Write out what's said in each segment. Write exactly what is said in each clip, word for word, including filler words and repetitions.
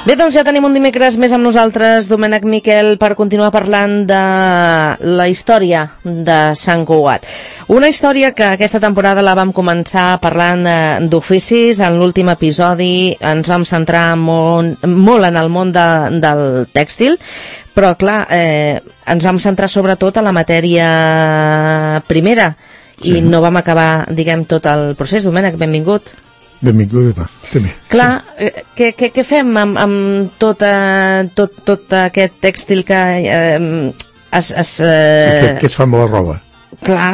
Bé, doncs ja tenim un dimecres més amb nosaltres, Domènec Miquel, per continuar parlant de la història de Sant Cugat. Una història que aquesta temporada la vam començar parlant d'oficis. En l'últim episodi ens vam centrar molt, molt en el món de, del tèxtil, però clar, eh, ens vam centrar sobretot a la matèria primera i sí. no vam acabar, diguem, tot el procés. Domènec, benvingut. Benvingut, també. Clar, sí. què, què, què fem amb, amb tot, uh, tot, tot aquest tèxtil que uh, es... es uh... què, què es fa amb la roba? Clar.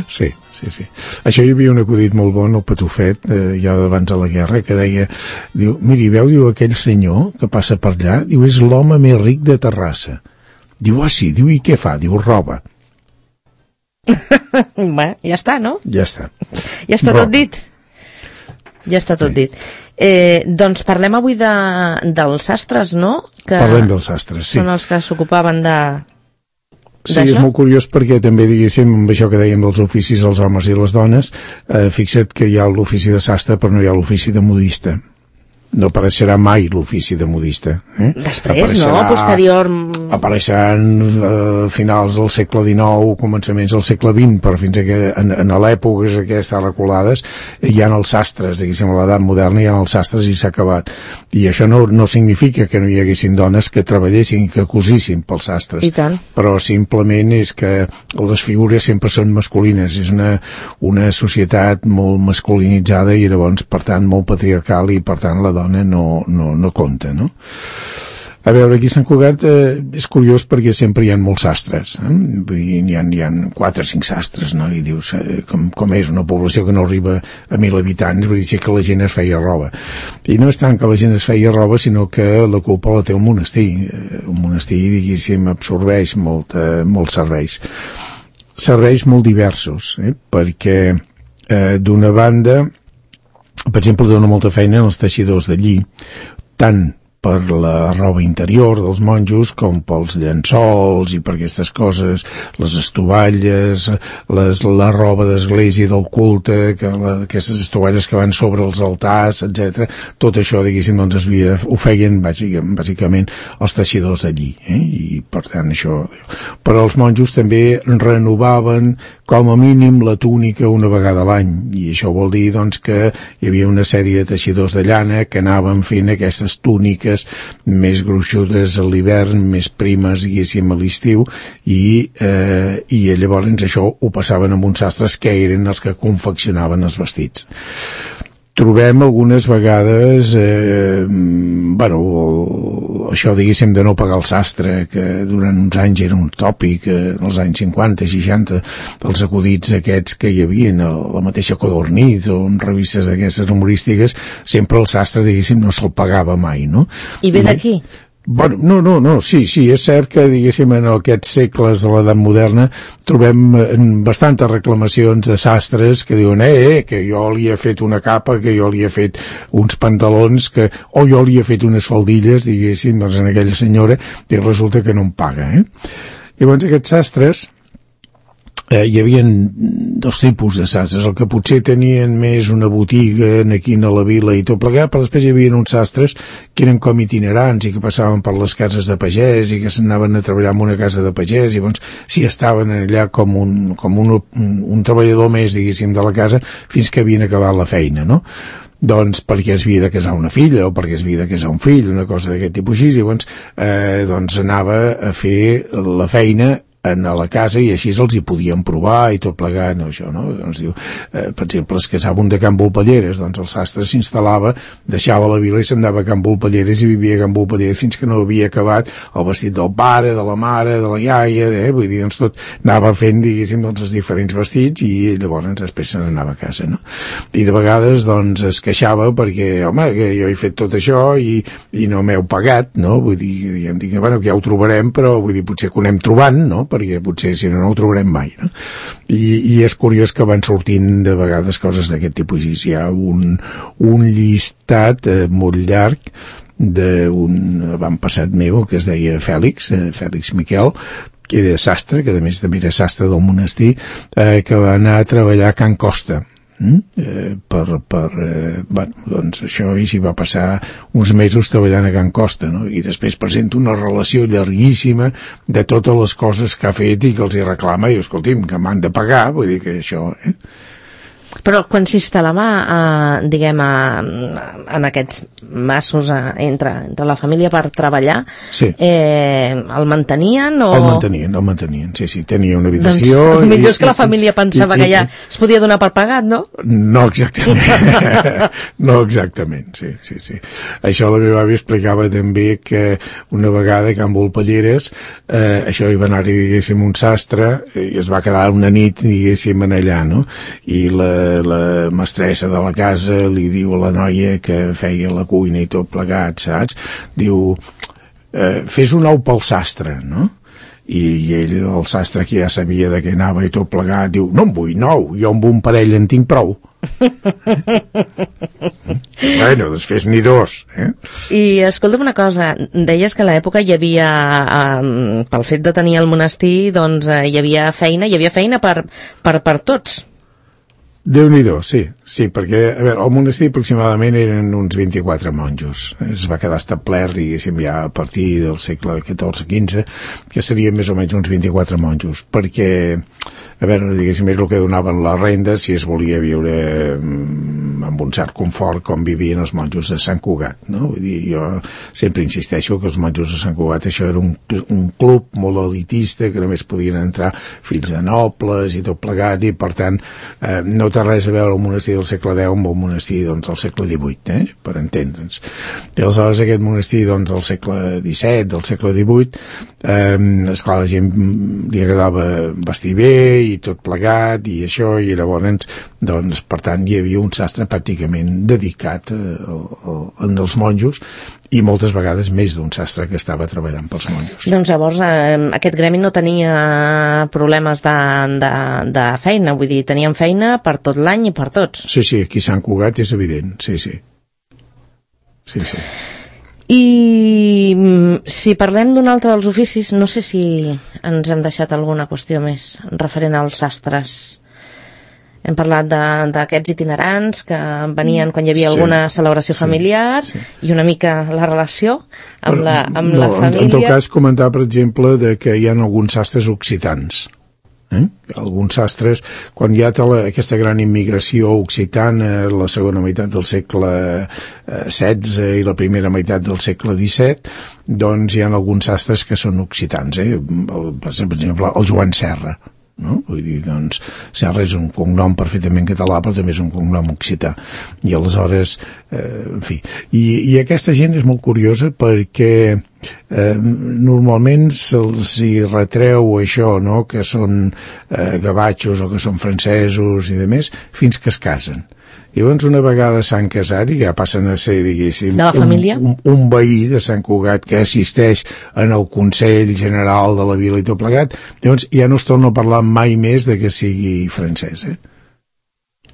sí, sí, sí. Això hi havia un acudit molt bon, el Patufet, eh, ja abans de la guerra, que deia, diu, miri, veu, diu, aquell senyor que passa per allà, diu, és l'home més ric de Terrassa. Diu, ah, sí, diu, i què fa? Diu, roba. Bé, ja està, no? Ja està. Ja està roba. Tot dit. Ja està tot sí. dit. Eh, doncs parlem avui de, dels sastres, no? Que parlem dels sastres, sí. Són els que s'ocupaven de... Sí, és molt curiós perquè també, diguéssim, amb això que dèiem dels oficis, els homes i les dones, eh, fixa't que hi ha l'ofici de sastre però no hi ha l'ofici de modista. No apareixerà mai l'ofici de modista. Eh? Després, apareixerà, no? Posterior... Apareixeran eh, finals del segle dinou, començaments del segle vint, però fins a que en, en l'èpoques aquestes reculades hi ha els sastres, diguéssim, a l'edat moderna hi ha els sastres i s'ha acabat. I això no, no significa que no hi haguessin dones que treballessin, que cosissin pels sastres. I tant. Però simplement és que les figures sempre són masculines. És una, una societat molt masculinitzada i llavors, per tant, molt patriarcal i, per tant, la dona no, no, no compta, no? A veure, aquí a Sant Cugat eh, és curiós perquè sempre hi ha molts sastres, eh? Vull dir, hi ha, hi ha quatre o cinc sastres, no? I dius, eh, com, com és una població que no arriba a mil habitants, vull dir que la gent es feia roba. I no és tant que la gent es feia roba, sinó que la culpa la té el monestir. Eh, un monestir, diguéssim, absorbeix molt, eh, molts serveis. Serveis molt diversos, eh? Perquè eh, d'una banda, per exemple, dona molta feina als teixidors de lli, tant per la roba interior dels monjos com pels llençols i per aquestes coses, les estovalles, les, la roba d'església del culte, que la, aquestes estovalles que van sobre els altars, etcètera. Tot això, diguéssim, doncs es havia, ho feien bàsicament, bàsicament els teixidors de lli, eh? I per tant això... Però els monjos també renovaven com a mínim la túnica una vegada a l'any, i això vol dir doncs que hi havia una sèrie de teixidors de llana que anaven fent aquestes túniques més gruixudes a l'hivern, més primes, diguéssim, a l'estiu, i, eh, i llavors això ho passaven amb uns sastres que eren els que confeccionaven els vestits. Trobem algunes vegades, eh, bueno, això, diguéssim, de no pagar el sastre, que durant uns anys era un tòpic, eh, als anys cinquanta, seixanta, els acudits aquests que hi havia, la mateixa Codorniz o en revistes aquestes humorístiques, sempre el sastre, diguéssim, no se'l pagava mai, no? I ve d'aquí? Bueno, no, no, no, sí, sí, és cert que, diguéssim, en aquests segles de l'edat moderna trobem bastantes reclamacions de sastres que diuen, eh, eh, que jo li he fet una capa, que jo li he fet uns pantalons, que, o jo li he fet unes faldilles, diguéssim, doncs en aquella senyora, i resulta que no em paga, eh? Llavors aquests sastres, Eh, hi havia dos tipus de sastres, el que potser tenien més una botiga aquí a la vila i tot plegat, però després hi havia uns sastres que eren com itinerants i que passaven per les cases de pagès i que s'anaven a treballar en una casa de pagès i llavors sí estaven allà com un, com un, un, un treballador més, diguéssim, de la casa fins que havien acabat la feina, no? Doncs perquè es havia de casar una filla o perquè es havia de casar un fill, una cosa d'aquest tipus així, i llavors eh, doncs anava a fer la feina en a la casa i així els hi podien provar i tot plegat, no, això, no? Doncs diu, eh, per exemple, es casava un de Can Volpelleres, doncs el sastre s'instal·lava, deixava la vila i se'n anava a Can Volpelleres i vivia a Can Volpelleres fins que no havia acabat el vestit del pare, de la mare, de la iaia, eh? Vull dir, doncs tot anava fent, diguéssim, doncs els diferents vestits i llavors després se n'anava a casa, no? I de vegades, doncs, es queixava perquè, home, que jo he fet tot això i, i no m'heu pagat, no? Vull dir, diguem, diguem, bueno, que ja ho trobarem, però vull dir, potser que ho anem trobant, no? Perquè potser si no no ho trobarem mai, no? I, i és curiós que van sortint de vegades coses d'aquest tipus. Hi ha un, un llistat eh, molt llarg d'un avantpassat meu que es deia Fèlix, eh, Fèlix Miquel, que era sastre, que a més també era sastre del monestir, eh, que va anar a treballar a Can Costa. Mm? Eh, per, per eh, bueno, doncs això i s'hi va passar uns mesos treballant a Can Costa, no? I després presenta una relació llarguíssima de totes les coses que ha fet i que els hi reclama i escolti'm, que m'han de pagar, vull dir que això eh? Però quan s'instal·lava, eh, diguem, eh, en aquests massos eh, entre, entre la família per treballar, sí. eh, el mantenien o...? El mantenien, el mantenien, sí, sí, tenia una habitació... Doncs millor és que la família pensava i, i, que ja es podia donar per pagat, no? No exactament, no exactament, sí, sí, sí. Això la meva àvia explicava també que una vegada a Can Volpelleres, eh, això hi va anar-hi, diguéssim, un sastre, i es va quedar una nit, diguéssim, en allà, no? I la la mestressa de la casa li diu a la noia que feia la cuina i tot plegat, saps? Diu, eh, fes un ou pel sastre, no? I, i ell, el sastre que ja sabia de què anava i tot plegat, diu, no en vull nou, jo amb un parell en tinc prou. Bueno, doncs fes-n'hi dos, eh? I escolta'm una cosa, deies que a l'època hi havia, eh, pel fet de tenir el monestir, doncs eh, hi havia feina, hi havia feina per, per, per tots. Déu-n'hi-do, sí, sí, perquè a veure, el monestir aproximadament eren uns vint-i-quatre monjos. Es va quedar establert, diguéssim, ja a partir del segle catorze quinze, que serien més o menys uns vint-i-quatre monjos, perquè, a veure, diguéssim, és el que donaven la renda si es volia viure amb un cert confort com vivien els monjos de Sant Cugat, no? Vull dir, jo sempre insisteixo que els monjos de Sant Cugat això era un, un club molt elitista, que només podien entrar fills de nobles i tot plegat, i per tant eh, no té res a veure el monestir del segle deu amb el monestir doncs, del segle divuit, eh? Per entendre'ns. I aleshores aquest monestir doncs, del segle disset, del segle divuit, eh, esclar, la gent li agradava vestir bé i tot plegat i això, i llavors doncs, per tant hi havia un sastre pràcticament dedicat a, a, a els monjos, i moltes vegades més d'un sastre que estava treballant pels monjos. Doncs llavors eh, aquest gremi no tenia problemes de, de, de feina, vull dir, tenien feina per tot l'any i per tots. Sí, sí, aquí Sant Cugat és evident, sí, sí. Sí, sí. I si parlem d'un altre dels oficis, no sé si ens hem deixat alguna qüestió més referent als sastres. Hem parlat d'aquests itinerants que venien quan hi havia sí, alguna celebració familiar, sí, sí. I una mica la relació amb, Però, la, amb no, la família. En tot cas, comentar, per exemple, de que hi ha alguns sastres occitans. Eh? Alguns sastres, quan hi ha la, aquesta gran immigració occitana, la segona meitat del segle setze i la primera meitat del segle disset, doncs hi ha alguns sastres que són occitans. Eh? El, per exemple, el Joan Serra. No? Vull dir, doncs, Serra és un cognom perfectament català, però també és un cognom occità. I aleshores, eh, en fi, i, i aquesta gent és molt curiosa perquè eh, normalment se'ls hi retreu això, no?, que són eh, gavatxos o que són francesos i demés, fins que es casen. I llavors una vegada s'han casat i ja passen a ser, diguéssim, un, un, un veí de Sant Cugat que assisteix en el Consell General de la Vila i tot plegat, llavors ja no es torna a parlar mai més de que sigui francès, eh?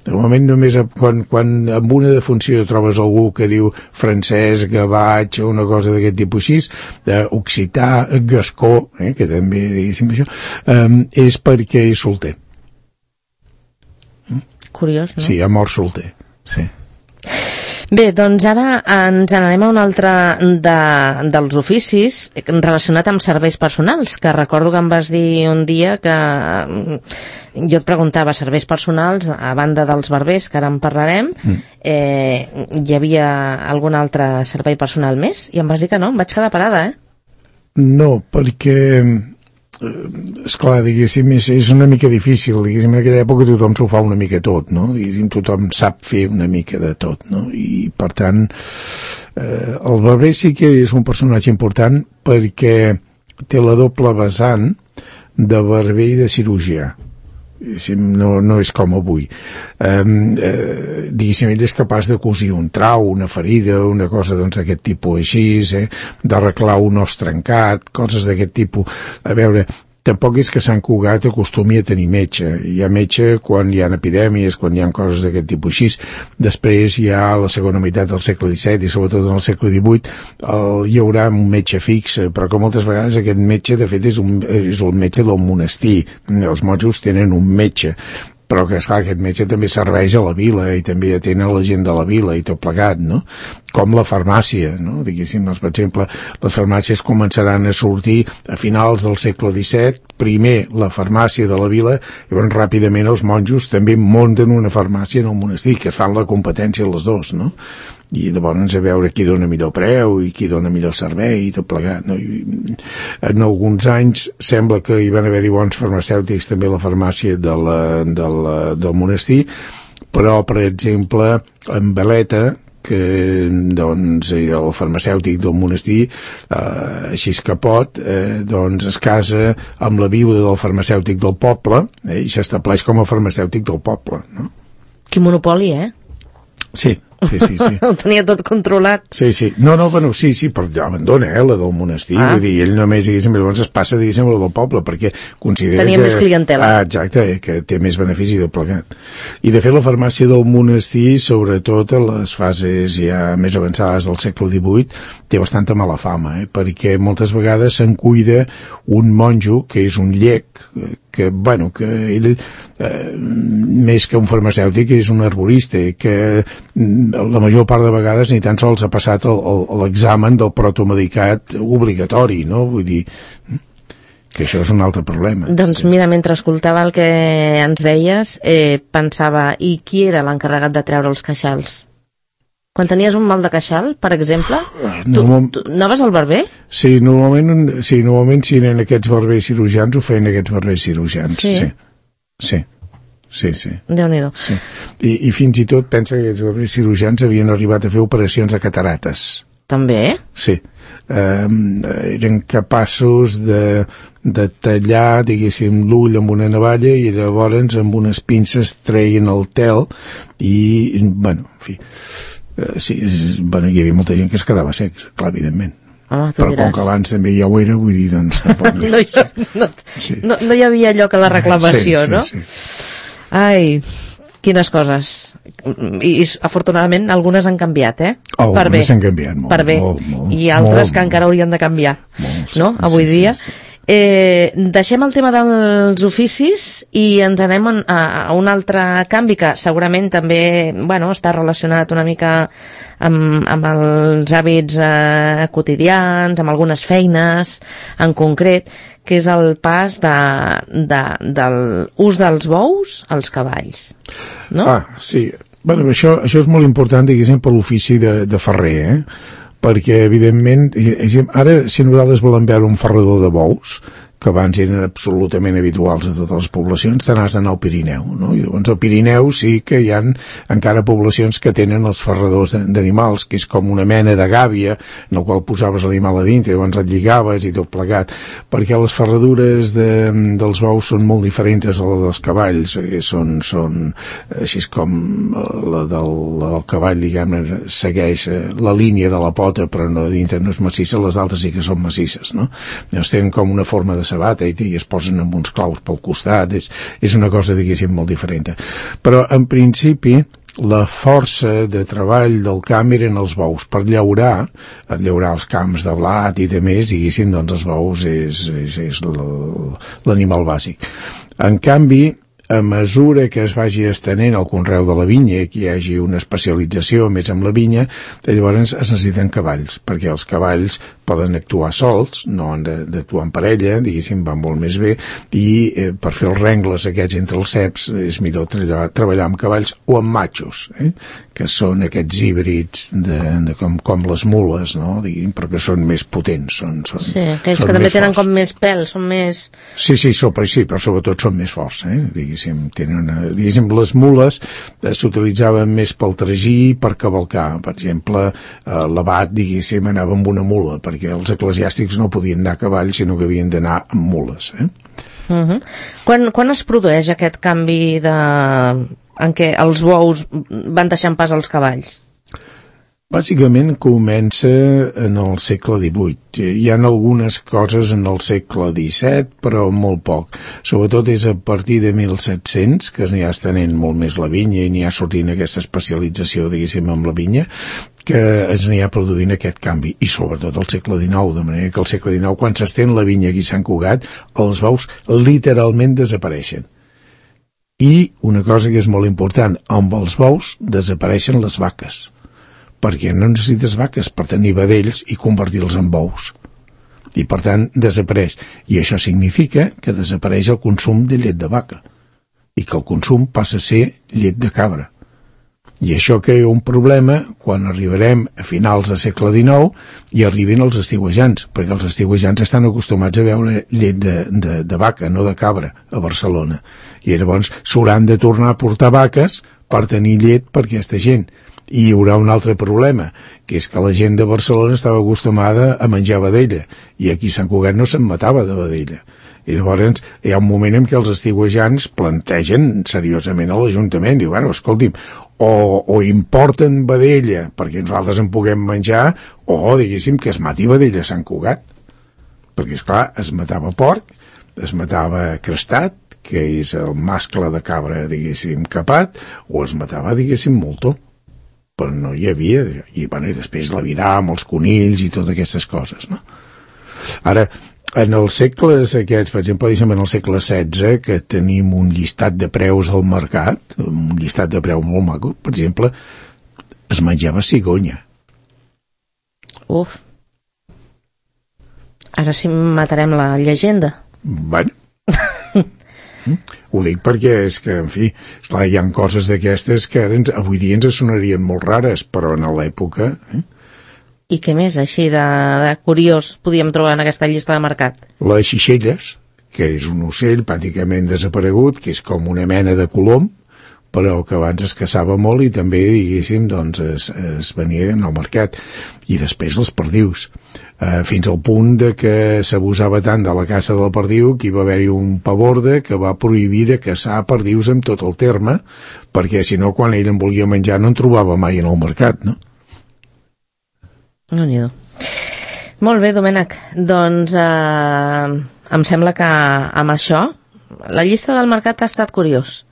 De moment només quan, quan amb una defunció trobes algú que diu francès, gavatx o una cosa d'aquest tipus així, occità, gascó, eh, que també, diguéssim, això, eh, és perquè és solter. Curiós, no? Sí, ha mort solter, sí. Bé, doncs ara ens n'anem a un altre de, dels oficis relacionat amb serveis personals, que recordo que em vas dir un dia que jo et preguntava serveis personals, a banda dels barbers, que ara en parlarem, mm. eh, hi havia algun altre servei personal més? I em vas dir que no, em vaig quedar parada, eh? No, perquè... esclar, diguéssim, és, és una mica difícil, diguéssim, en aquella època tothom s'ho fa una mica tot, no? Diguéssim, tothom sap fer una mica de tot, no? I per tant eh, el barber sí que és un personatge important perquè té la doble vessant de barber i de cirurgià. No, no és com avui. Eh, eh, diguéssim, ell és capaç de cosir un trau, una ferida, una cosa doncs d'aquest tipus així, eh, d'arreglar un os trencat, coses d'aquest tipus. A veure, tampoc és que Sant Cugat acostumi a tenir metge. Hi ha metge quan hi ha epidèmies, quan hi ha coses d'aquest tipus així. Després hi ha la segona meitat del segle disset i sobretot en el segle divuit el, hi haurà un metge fix, però que moltes vegades aquest metge de fet és, un, és el metge del monestir. Els monjos tenen un metge, però que, esclar, aquest metge també serveix a la vila i també atén a la gent de la vila i tot plegat, no? Com la farmàcia, no? Diguéssim, doncs, per exemple, les farmàcies començaran a sortir a finals del segle disset, primer la farmàcia de la vila, i llavors ràpidament els monjos també munten una farmàcia en el monestir, que es fan la competència els dos, no? I llavors a veure qui dona millor preu i qui dona millor servei i tot plegat, no? I en alguns anys sembla que hi van haver-hi bons farmacèutics també a la farmàcia de la, de la, del monestir, però per exemple en Veleta, que doncs era el farmacèutic del monestir, eh, així que pot, eh, doncs es casa amb la viuda del farmacèutic del poble, eh, i s'estableix com a farmacèutic del poble, no? Quin monopoli, eh? Sí, sí, sí, sí. Ho tenia tot controlat. Sí, sí. No, no, bueno, sí, sí, però abandona, eh, la del monestir. Ah. Vull dir, ell només, diguéssim, llavors es passa, diguéssim, la del poble, perquè considera Tenia que... més clientela. Ah, exacte, eh, que té més benefici de plegat. I, de fet, la farmàcia del monestir, sobretot a les fases ja més avançades del segle divuit, té bastanta mala fama, eh, perquè moltes vegades se'n cuida un monjo, que és un llec, que, bueno, que ell, eh, més que un farmacèutic, és un arborista, que la major part de vegades ni tan sols ha passat l'examen del protomedicat obligatori, no? Vull dir que això és un altre problema. Doncs sí. Mira, mentre escoltava el que ens deies, eh, pensava, i qui era l'encarregat de treure els queixals? Quan tenies un mal de queixal, per exemple, tu, tu anaves al barber? Sí, normalment, sí, normalment si eren aquests barbers cirurgians, ho feien aquests barbers cirurgians. Sí? Sí, sí. Sí, sí. Déu-n'hi-do. Sí. I, I fins i tot pensa que aquests barbers cirurgians havien arribat a fer operacions de catarates. També? Sí. Um, eren capaços de, de tallar, diguéssim, l'ull amb una navalla i llavors amb unes pinces treien el tel i, bueno, en fi... Uh, sí, bueno, hi havia molta gent que es quedava secs, clar, evidentment. Home, però diràs. Com que abans també ja ho era, vull dir, doncs tampoc... no, hi, no, sí. no, no hi havia lloc a la reclamació, sí, sí, no? Sí. Ai, quines coses. I, i afortunadament algunes han canviat, eh? Oh, per bé. Han canviat molt, per bé. Molt, molt, I altres molt, que encara haurien de canviar, molt, no? Sí, avui sí, dia. Sí, sí. Eh, deixem el tema dels oficis i ens anem a, a un altre canvi que segurament també, bueno, està relacionat una mica amb, amb els hàbits eh, quotidians, amb algunes feines en concret, que és el pas de, de, del ús dels bous als cavalls, no? Ah, sí. Bueno, això, això és molt important, diguéssim, per l'ofici de, de ferrer, eh? Perquè, evidentment, ara, si nosaltres volem veure un ferrador de bous, que abans eren absolutament habituals a totes les poblacions, te n'has d'anar al Pirineu, no? I llavors al Pirineu sí que hi ha encara poblacions que tenen els ferradors d'animals, que és com una mena de gàbia, en el qual posaves l'animal a dintre, llavors et lligaves i tot plegat, perquè les ferradures de, dels bous són molt diferents a les dels cavalls, són, són així com la del, la del cavall, diguem-ne, segueix la línia de la pota, però no, dintre no és massissa, les altres sí que són massisses, no? Llavors tenen com una forma de sabata i, i es posen amb uns claus pel costat, és, és una cosa, diguéssim, molt diferent. Però, en principi, la força de treball del camp eren els bous. Per llaurar, llaurar els camps de blat i de més, diguéssim, doncs els bous és, és, és l'animal bàsic. En canvi, a mesura que es vagi estenent el conreu de la vinya i que hi hagi una especialització més amb la vinya, llavors es necessiten cavalls, perquè els cavalls poden actuar sols, no han d'actuar en parella, diguéssim, van molt més bé, i eh, per fer els rengles aquests entre els ceps és millor treballar, treballar amb cavalls o amb matxos, eh? Que són aquests híbrids de, de com, com les mules, no? Diguem, però que són més potents. Són, són, sí, aquells que també tenen com més pèl, són més... Sí, sí, so, sí, però sobretot són més forts, eh? Diguéssim, tenen una, diguéssim, les mules eh, s'utilitzaven més pel tragí per cavalcar. Per exemple, eh, l'abat, diguéssim, anava amb una mula, perquè els eclesiàstics no podien anar a cavall, sinó que havien d'anar amb mules, eh? Uh-huh. Quan, quan es produeix aquest canvi de... en què els bous van deixant pas als cavalls? Bàsicament comença en el segle divuit. Hi ha algunes coses en el segle disset, però molt poc. Sobretot és a partir de mil set-cents, que n'hi ha estenent molt més la vinya i n'hi ha sortint aquesta especialització, diguéssim, amb la vinya, que es n'hi ha produint aquest canvi. I sobretot el segle dinou, de manera que el segle dinou, quan s'estén la vinya aquí a Sant Cugat, els bous literalment desapareixen. I una cosa que és molt important, amb els bous desapareixen les vaques, perquè no necessites vaques per tenir vedells i convertir-los en bous. I per tant desapareix. I això significa que desapareix el consum de llet de vaca i que el consum passa a ser llet de cabra. I això crea un problema quan arribarem a finals del segle dinou i arribin els estiuejants, perquè els estiuejants estan acostumats a veure llet de, de, de vaca, no de cabra, a Barcelona. I llavors s'hauran de tornar a portar vaques per tenir llet per aquesta gent. I hi haurà un altre problema, que és que la gent de Barcelona estava acostumada a menjar vedella, i aquí a Sant Cugat no se'n matava de vedella. I llavors hi ha un moment en què els estiuejants plantegen seriosament a l'Ajuntament, diu, bueno, escolti'm, o, o importen vedella perquè nosaltres en puguem menjar, o, diguéssim, que es mati vedella a Sant Cugat. Perquè, esclar, es matava porc, es matava crestat, que és el mascle de cabra, diguéssim, capat, o es matava, diguéssim, moltó. Però no hi havia, i, bueno, i després l'aviram, els conills i totes aquestes coses, no? Ara, en els segles aquests, per exemple, en el segle setze, que tenim un llistat de preus al mercat, un llistat de preus molt maco, per exemple, es menjava cigonya. Uf. Ara sí matarem la llegenda. Bueno. Ho dic perquè és que, en fi, esclar, hi ha coses d'aquestes que ara ens, avui dia ens sonarien molt rares, però en l'època... Eh? I què més, així de, de curiós, podíem trobar en aquesta llista de mercat? Les xixelles, que és un ocell pràcticament desaparegut, que és com una mena de colom, però que abans es caçava molt i també, diguéssim, doncs es, es venia al mercat. I després les perdius. Eh, fins al punt de que s'abusava tant de la caça del perdiu que hi va haver-hi un paborde que va prohibir de caçar perdius amb tot el terme, perquè si no, quan ell en volia menjar no en trobava mai en el mercat, no? No n'hi do. Molt bé, Domènec. Doncs eh, em sembla que amb això la llista del mercat ha estat curiós.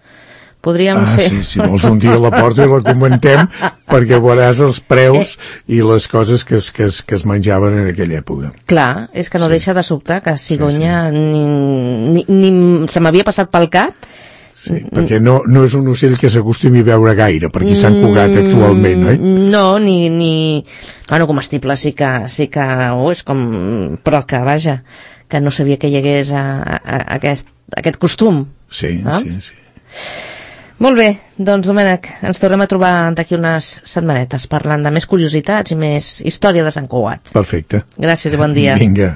Podríem ah, fer... sí, si vols un dia la porto i la comentem perquè veuràs els preus i les coses que es, que es, que es menjaven en aquella època. Clar, és que no sí. Deixa de sobtar que cigonya sí, sí. Ni, ni, ni se m'havia passat pel cap. Sí, perquè no, no és un ocell que s'acostumi a veure gaire per aquí Sant Cugat actualment, oi? No, ni... ni... Bueno, comestible sí que, sí que ho és com... Però que, vaja, que no sabia que hi hagués a, a, a aquest, aquest costum. Sí, ah? sí, sí. Molt bé, doncs, Domènec, ens tornem a trobar d'aquí unes setmanetes parlant de més curiositats i més història de Sant Cugat. Perfecte. Gràcies i bon dia. Vinga.